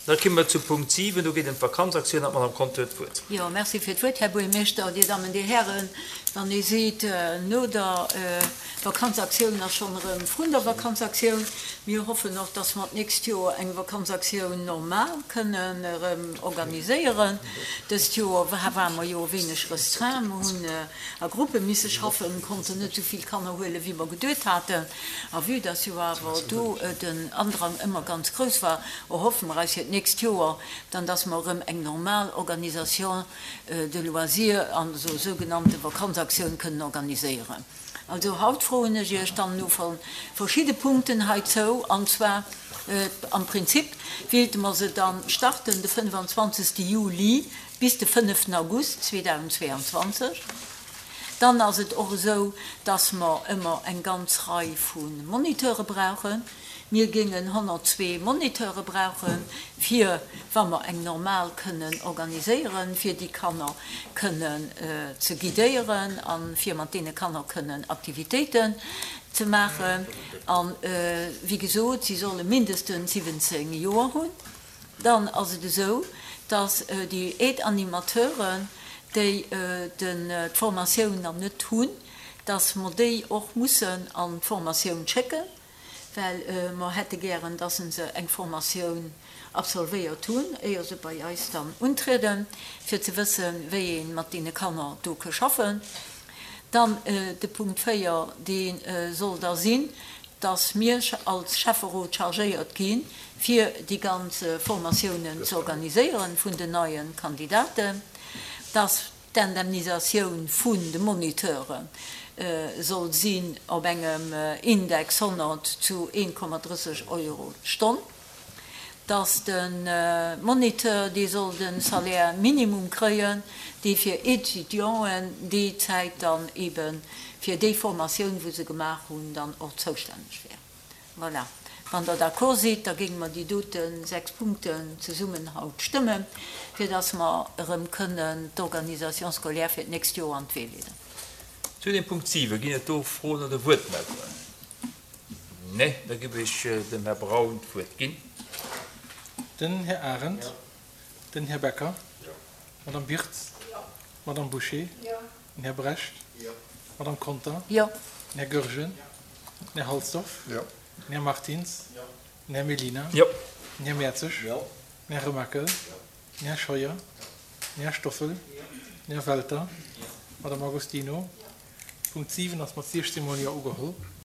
Da komme mer zu Punkt 7, do geet et ëm d'Vakanzaktioun an d'Madame Conter huet d'Wuert. Jo, merci fir d'Wuert, Här Buergermeeschter, Dir Dammen, Dir Hären. Wann ee seet, no der Vakanzaktioun ass schonn erëm vrun der Vakanzaktioun. Mir hoffen och, dass mer d'nächst Joer eng Vakanzaktioun normal kënnen erëm organiséieren. Dëst Joer ware mer jo e wéineg restreint. Mer hunn a Gruppe misse schaffen, konnten net esou vill Kanner huelen, wéi mer geduet haten. A vue dass jo awer do den Andrang ëmmer ganz grouss war, erhoffe mer eis fir d'nächst Joer dann, dass mer erëm eng normal Organisation de loisirs an esou sougenannte Vakanzaktioun kënnen organiséieren. Also haut froen ech Iech dann no verschidde Punkten heizou, an zwar am Prinzip wéilte mer se dann starten de 25. Juli bis de 5. August 2022. Dann ass et och esou, dass mer ëmmer eng ganz Rei vu Moniteure brauchen. Mir géingen 102 Moniteure brauchen, fir, wa mer eng normal kënnen organiséieren, fir déi Kanner kënnen ze guidéieren a fir mat deene Kanner kënnen Aktivitéiten ze maachen. A wéi gesot, si solle mindestens 17 Joer hunn. Dann ass et esou, dass déi Aide-animateuren, déi d'Formatioun nach net hunn, dass mer déi och mussen an d'Formatioun schécken, well mer hätte gären, dass se eng Formatioun absolvéiert hunn, éier se bei eis dann untrieden, fir ze wëssen, wéi ee mat deene Kanner do ke schaffen. Dann de Punkt 4, dee soll da sinn, dass mir als Schäfferot chargéiert gi fir déi ganz Formatiounen ze organiséieren vun den neie Kandidaten, dass d'Indemnisatioun vun de Moniteure soll sinn op engem Index 100 zu 1,30 Euro d'Stonn. dass de Moniteur, dee soll de Salaire minimum kréien, dee fir Étudianten déi Zäit dann ebe fir déi Formatioun, wou se gemaach hunn, dann och zoustänneg wär. Voilà. Wann Der d'accord sidd, da géinge mer déi dote 6 Punkten zesummen haut stëmmen, fir dass mer erëm kënnen d'Organisation scolaire fir d'nächst Joer an d'Wee leeden. Zu dem Punkt 7, ginn et do Froen oder Wuertmeldungen? Nee, da giff ech dem Här Braun d'Wuert ginn. Den Här Arendt. Den Här Becker. D'Madame Birtz. D'Madame Bouché. Den Här Brecht. D'Madame Conter. Den Här Goergen. Den Här Halsdorf. Den Här Martins. Den Här Mellina. Den Här Mertzig. Den Här Remakel. Den Här Scheuer. Den Här Stoffel. Den Här Welter. D'Madame Agostino. Punkt 7 ass mat 16 mol Jo ugeholl.